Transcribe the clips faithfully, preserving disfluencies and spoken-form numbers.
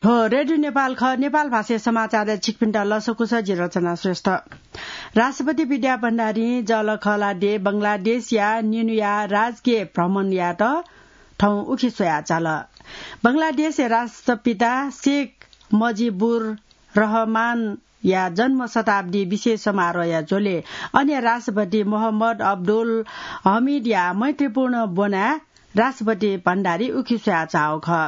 थ्व रेडियो नेपाल खः, नेपाल भाषाया समाचारय् छिकपिन्त लसकुस, जि रचना श्रेष्ठ। राष्ट्रपति विद्या भण्डारीं जःलाखःला देय् बंगलादेशया निन्हुया राजकीय भ्रमण यायेत थौं उखे स्वयाः चाल। बंगलादेशया राष्ट्रपिता शेख मुजिबुर रहमानया जन्म शताब्दी विशेष समारोहया झ्वलय् अन राष्ट्रपति मोहम्मद अब्दुल हमिदया मैत्रीपूर्ण ब्वनाय् राष्ट्रपति भण्डारी उखे स्वयाः चाःगु खः।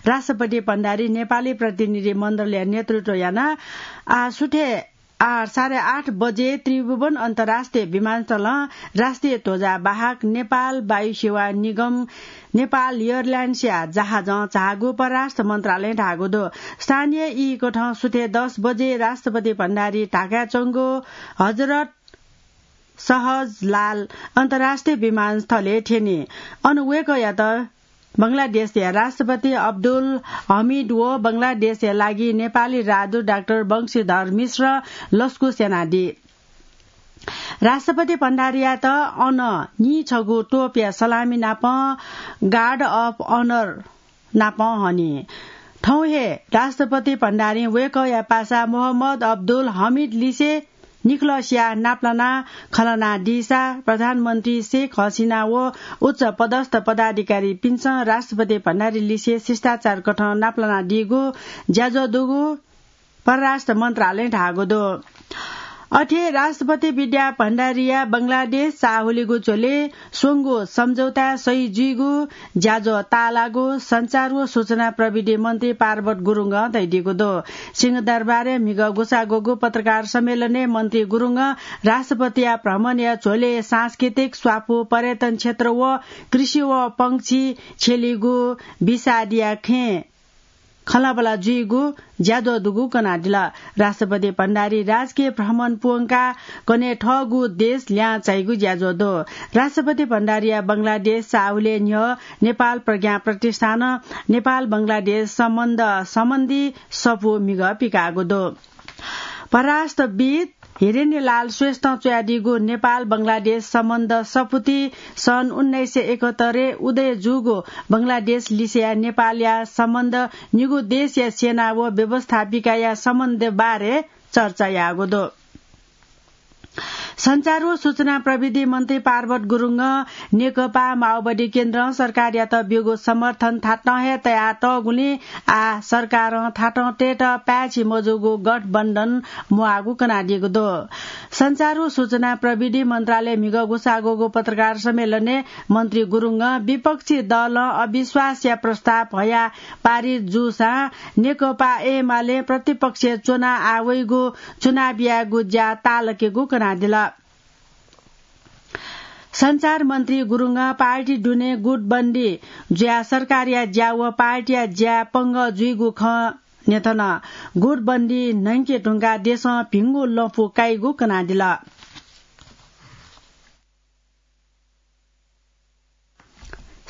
राष्ट्रपति भण्डारी नेपाली प्रतिनिधि मण्डलया नेतृत्व यानाः आः सुथय् आः साढे आठ बजे त्रिभुवन अन्तर्राष्ट्रिय विमानस्थलं राष्ट्रिय ध्वजा बाहक नेपाल वायुसेवा निगम नेपाल एयरलाइन्सया जहाजं झाःगु परराष्ट्र मन्त्रालयं धाःगु दु। स्थानीय ई कथं सुथय् दस बजे राष्ट्रपति भण्डारी ढाकाय् च्वंगु हजरत सहजलाल अन्तर्राष्ट्रिय विमानस्थलय् थ्यनी। अन वय्कःयात बंगलादेशया राष्ट्रपति अब्दुल हमिद व बंगलादेशया लागि नेपाली राजदूत डाक्टर वंशीधर मिश्र लसकुस यानादी। राष्ट्रपति भण्डारीयात अन नीछगू तोपया सलामी नाप गार्ड अफ अनर नाप हनी। थौं हे राष्ट्रपति भण्डारीं वय्कःया पासा मोहम्मद अब्दुल हमिद लिसे निखलसया नापलाना खँ ल्हानादीसा प्रधानमन्त्री शेख हसिना व उच्च पदस्थ पदाधिकारीपिन्सं राष्ट्रपति भण्डारी लिसे शिष्टाचार कथं नापलानादीगु ज्याझ्वः दुगु परराष्ट्र मन्त्रालयं धाःगु दु। अथे राष्ट्रपति विद्या भण्डारीया बंगलादेश चाःहुलिगु झ्वलय् स्वंगु सम्झौता सही जुइगु ज्याझ्वः ताःलाःगु सञ्चार व सूचना प्रविधि मन्त्री पार्वत गुरुङं धयादीगु दु। सिंहदरबारय् म्हिगः गुसाग्वःगु पत्रकार सम्मेलनय् मन्त्री गुरुङं राष्ट्रपतिया भ्रमणया झ्वलय् सांस्कृतिक, स्वापू, पर्यटन क्षेत्र व कृषि व पंक्षी छ्यलीगु विषादया खँय् खँल्हाबल्हा जुइगु ज्याझ्वः दुगु कनादिल। राष्ट्रपति भण्डारी राजकीय भ्रमण प्वंकाः कन्हय् थःगु देश ल्याहां चाइगु ज्याझ्वः दु। राष्ट्रपति भण्डारीया बंगलादेश चाःहुलय् न्ह्यः नेपाल प्रज्ञा प्रतिष्ठानं नेपाल बंगलादेश सम्बन्ध सम्बन्धी सफू म्हिगः पिकाःगु दु। परराष्ट्रविद् हिरेन्यलाल श्रेष्ठं च्वयादीगु नेपाल बंगलादेश सम्बन्ध सफूति सन् उन्नाइस सय एकहत्तरय् उदय जूगु बंगलादेश लिसेया नेपालया सम्बन्ध निगू देशया सेना व व्यवस्थापिकाया सम्बन्ध बारे चर्चा याःगु दु। सञ्चार व सूचना प्रविधि मन्त्री पार्वत गुरुङं नेकपा माओवादी केन्द्रं सरकारयात ब्यूगु समर्थन थातं हे तयातःगुलिं आः सरकारं थातं तयेत पाय्छि मजूगु गठबन्धन म्वाःगु कनादीगु दु। सञ्चार व सूचना प्रविधि मन्त्रालय म्हिगः गुसाग्वःगु पत्रकार सम्मेलनय् मन्त्री गुरुङं विपक्षी दलं अविश्वासया प्रस्ताव हयाः पारित जूसां नेकपा एमाले प्रतिपक्षय् च्वनाः आः वइगु चुनाव यायेगु ज्या ताःलाकेगु कनादिल। सञ्चार मन्त्री गुरुङं पार्टी दुने गुटबन्दी जुयाः सरकारया ज्या व पार्टीया ज्या पंगः जुइगु खँ न्ह्यथन। गुटबन्दी न्हंके धुंकाः देशं भिंगु लँपु काइगु कनादिल।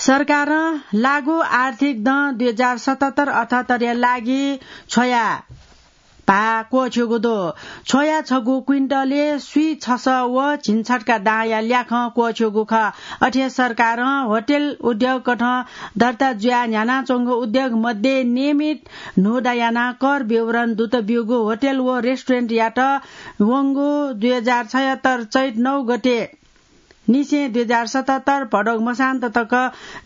सरकारं लागू आर्थिक दँ दुई हजार सतहत्तर अठहत्तरया लागि छ्वया भाः क्वःछ्यूगु दु। छ्वया छगू क्विन्टलय् स्वीछसः व झिंछट्का दांया ल्याखं क्वःछ्यूगु खः। अथे सरकारं होटेल उद्योगकथं दर्ता जुयाः न्ह्यानाच्वंगु उद्योग मध्ये नियमित न्हूदँ यानाः कर विवरण दुत ब्यूगु होटेल व रेस्टुरेन्टयात वंगु दुई हजार छयहत्तर चैत नौ गते निसें दुई हजार सतहत्तर भदौ मसान्त तक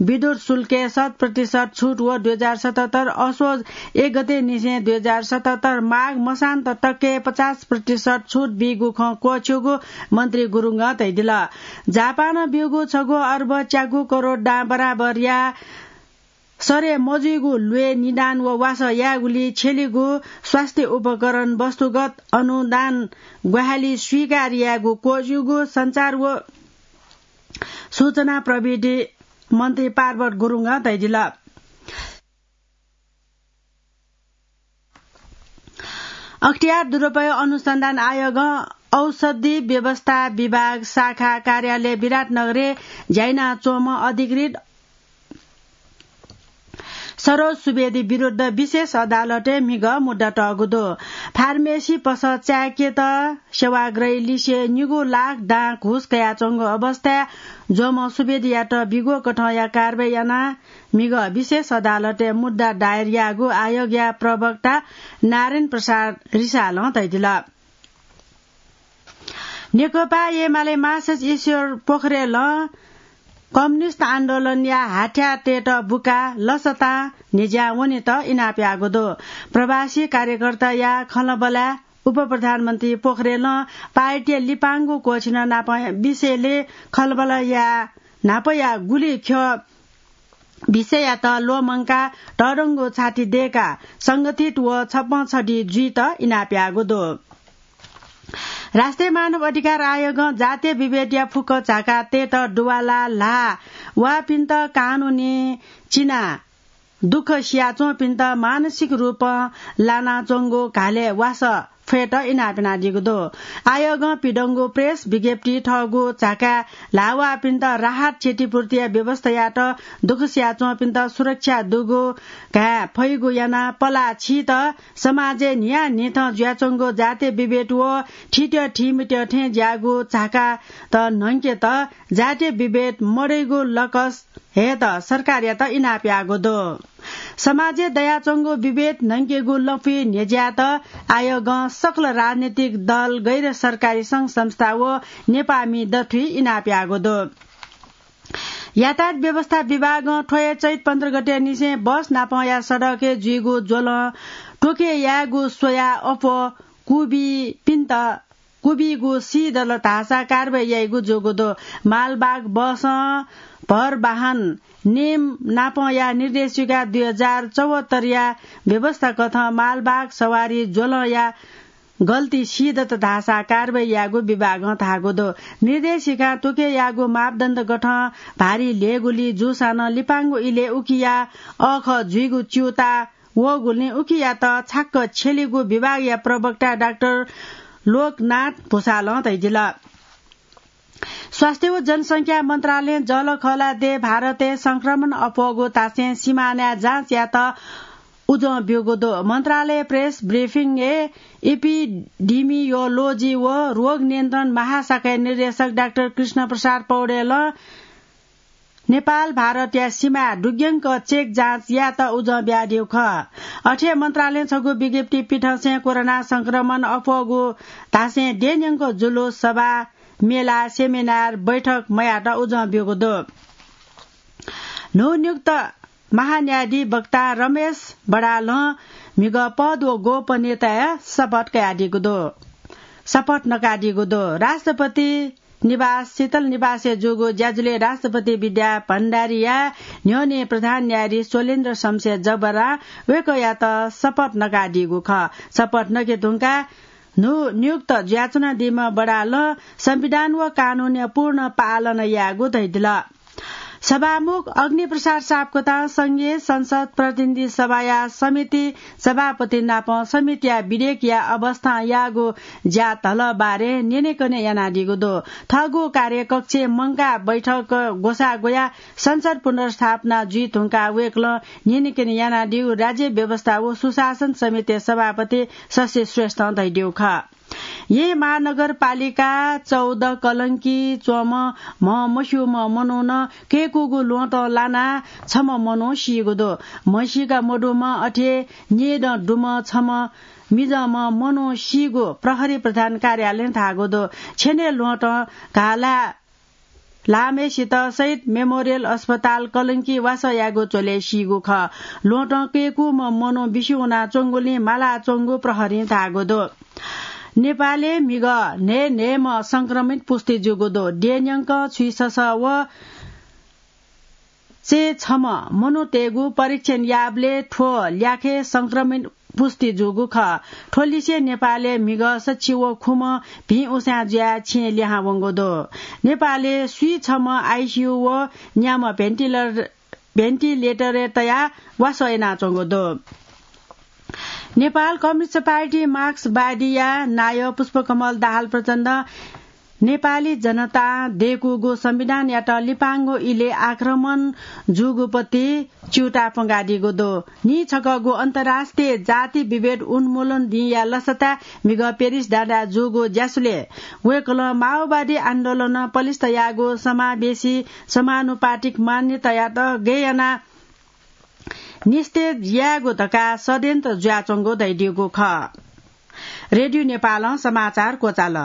विद्युत शुल्कय् शत प्रतिशत छुट व दुई हजार सतहत्तर असोज एक गते निसें दुई हजार सतहत्तर माघ मसान्त तकय् पचास प्रतिशत छुट बीगु खँ क्वःछ्यूगु मन्त्री गुरुङं धयादिल। जापानं ब्यूगु छगू अर्ब च्यागू करोड दां बराबरया सरे मजुइगु ल्वय् निदान व वासः यायेगुली छ्यलीगु स्वास्थ्य उपकरण वस्तुगत अनुदान ग्वाहालि स्वीकार यायेगु क्वःछ्यूगु सञ्चार व सूचना प्रविधि मन्त्री पार्वत गुरुङं धयादिल। अख्तियार दुरुपयोग अनुसन्धान आयोगं औषधि व्यवस्था विभाग शाखा कार्यालय विराटनगरय् ज्या यानाच्वंम्ह अधिकृत सरोज सुवेदी विरुद्ध विशेष अदालतय् म्हिगः मुद्दा तःगु दु। फार्मेसी पसः चाय्‌केत सेवाग्राही लिसे निगू लाख दां घुस कयाच्वंगु अवस्थाय् ज्वःम्ह सुवेदीयात बिग्वः कथंया कारवाही यानाः म्हिगः विशेष अदालतय् मुद्दा दायर याःगु आयोगया प्रवक्ता नारायण प्रसाद रिसालं धयादिल। नेकपा एमाले महासचिव ईश्वर पोखरेलं कम्युनिस्ट आन्दोलनया हाथ्याःतय्‌त बुकाः लसतां न्ह्यज्यां वनेत इनाप याःगु दु। प्रवासी कार्यकर्ताया खँल्हाबल्हाय् उपप्रधानमन्त्री पोखरेलं पार्टीया लिपांगु क्वःछिन नाप विषयले खँल्हाबल्हा याः न्हापाया गुलि ख्यः विषययात ल्वःमंकाः तःधंगु छाति दय्‌काः संगठित व छप्पँ छधि जुइत इनाप याःगु दु। राष्ट्रिय मानव अधिकार आयोगं जातीय विभेदया फुक्क झाकातय्‌त दुवाला ल्हाः वाःपिन्त कानूनी चिनाः दुःख सियाच्वंपिन्त मानसिक रूपं लानाच्वंगु घालय् वासः फयेत इनाप यानादीगु दु। आयोगं पिदंगु प्रेस विज्ञप्ति थःगु झाकाय् ल्हाः वाःपिन्त राहत क्षतिपूर्तिया व्यवस्था यायेत, दुःख सियाच्वंपिन्त सुरक्षा दुगु घाये फइगु यानाः पलाः छीत समाजय् न्हियान्हिथं जुयाच्वंगु जातीय विभेद व थीथ्यः थीमथ्यः थें ज्याःगु झाकात न्हंकेत जातीय विभेद मदइगु लकस हयेत सरकारयात इनाप याःगु दु। समाजय् दयाच्वंगु विभेद न्हंकेगु लँपुइ न्ह्यज्यायेत आयोगं सकल राजनीतिक दल, गैर सरकारी संघ संस्था व नेपाःमि दथुइ इनाप याःगु दु। यातायात व्यवस्था विभागं थ्व हे चैत पन्ध्र गते निसें बस नापंया सडकय् जुइगु ज्वलं त्वके यायेगु स्वयाः अप्वः क्वबीपिन्त क्वबीगु सीदल धाःसा कारवाही याइगु जूगु दु। मालवाहक बसं भरवाहन नियम नापंया निर्देशिका दुई हजार चौहत्तरया व्यवस्था कथं मालवाहक सवारी ज्वलंया गल्ती सीदत धाःसा कारवाही यायेगु विभागं धाःगु दु। निर्देशिकां त्वके याःगु मापदण्ड कथं भारी ल्ह्यःगुलिं जूसां नं लिपांगु इलय् उकिया अःखः जुइगु च्यूताः वःगुलिं उकियात छाक्क छ्यलीगु विभागया प्रवक्ता डाक्टर लोकनाथ भुसालं धयादिल। स्वास्थ्य व जनसंख्या मन्त्रालयं जःलाखःला देय् भारतय् संक्रमण अप्वःगु धासें सिमानाय् जाँच यायेत उजं ब्यूगु दु। मन्त्रालय प्रेस ब्रिफिङय् एपिडेमियोलोजी व रोग नियन्त्रण महाशाखाया निर्देशक डाक्टर कृष्ण प्रसाद पौडेलं नेपाल भारतया सिमाय् दुग्यंक चेक जाँच यायेत उजं बियादीगु खः। अथे मन्त्रालयं छगू विज्ञप्ति पिथंसें कोरोना संक्रमण अप्वःगु धासें देय्‌न्यंक जुलुस, सभा, मेला, सेमिनार, बैठक मयायेत उजं ब्यूगु दु। न्हूनियुक्त महान्यायाधीश वक्ता रमेश बडालं म्हिगः पद व गोपनीयताया शपथ कयादीगु दु, शपथ नकादीगु दु। राष्ट्रपति निवास शीतल निवासय् जूगु ज्याझ्वलय् राष्ट्रपति विद्या भण्डारीया न्ह्यःने प्रधान न्यायाधीश शैलेन्द्र शमशेर जब्बारं वय्‌कःयात शपथ नकादीगु खः। शपथ नके धुंकाः न्हू नियुक्त जुयाच्वनादीम्ह बडालं संविधान व कानूनया पूर्ण पालन यायेगु धयादिल। सभामुख अग्निप्रसाद सापकोटां संघीय संसद प्रतिनिधि सभाया समिति सभापति नाप समितिया विधेयकया अवस्थां याःगु ज्या धलः बारे न्यनेकने यानादीगु दु। थःगु कार्यकक्षय् मंकाः बैठक ग्वसाः ग्वयाः संसद पुनर्स्थापना जुइ धुंकाः वय्‌कलं न्यनेकने यानादीगु राज्य व्यवस्था व सुशासन समितिया सभापति शशि श्रेष्ठं धयादीगु खः। येँ महानगरपालिका चौध कलंकी च्वंम्ह म्ह मस्यूम्ह मनुखं कय्‌कूगु ल्वहँतं लानाः छम्ह मनू सीगु दु। म्हसीका मदुम्ह अथे न्येदँ दुम्ह छम्ह मिजंम्ह मनू सीगु प्रहरी प्रधान कार्यालयं धाःगु दु। छेनय् ल्वहँतं घाः ला लाःम्हय्‌सित शहीद मेमोरियल अस्पताल कलंकी वासः यायेगु झ्वलय् सीगु खः। ल्वहँतं कय्‌कूम्ह मनू बिस्युं वनाच्वंगुलिं मालाच्वंगु प्रहरीं धाःगु दु। नेपालय् म्हिगः न्हय् न्हय्‌म्ह संक्रमित पुष्टि जूगु दु। देय्‌न्यंक छुइससः व चय्‌छम्ह मनूतय्‌गु परीक्षण याःबलय् थ्व ल्याखय् संक्रमित पुष्टि जूगु खः। थ्व लिसे नेपालय् म्हिगः सछि व खुम्ह भिं उसाँय् जुयाः छेँय् लिहां वंगु दु। नेपालय् स्वीछम्ह आइसियु व न्याम्ह भेन्टिलर-, भेन्टिलेटरय् तयाः वासः यानाच्वंगु दु। नेपाल कम्युनिस्ट पार्टी मार्क्सवादीया नायः पुष्पकमल दाहाल प्रचण्डं नेपाली जनतां दय्कूगु संविधानयात लिपांगु इलय् आक्रमण जूगु पति च्यूताः प्वंकादीगु दु। नीछकःगु अन्तर्राष्ट्रिय जाति विभेद उन्मूलन दिंया लसताय् म्हिगः पेरिस डाँडाय् जूगु ज्यासुलय् वय्कलं माओवादी आन्दोलनं पलिस्था याःगु समावेशी समानुपातिक मान्यतायात गय् यानाः निस्तेज यायेगु धकाः षड्यन्त्र जुयाच्वंगु धयादीगु खः। रेडियो नेपालं समाचार क्वचाल।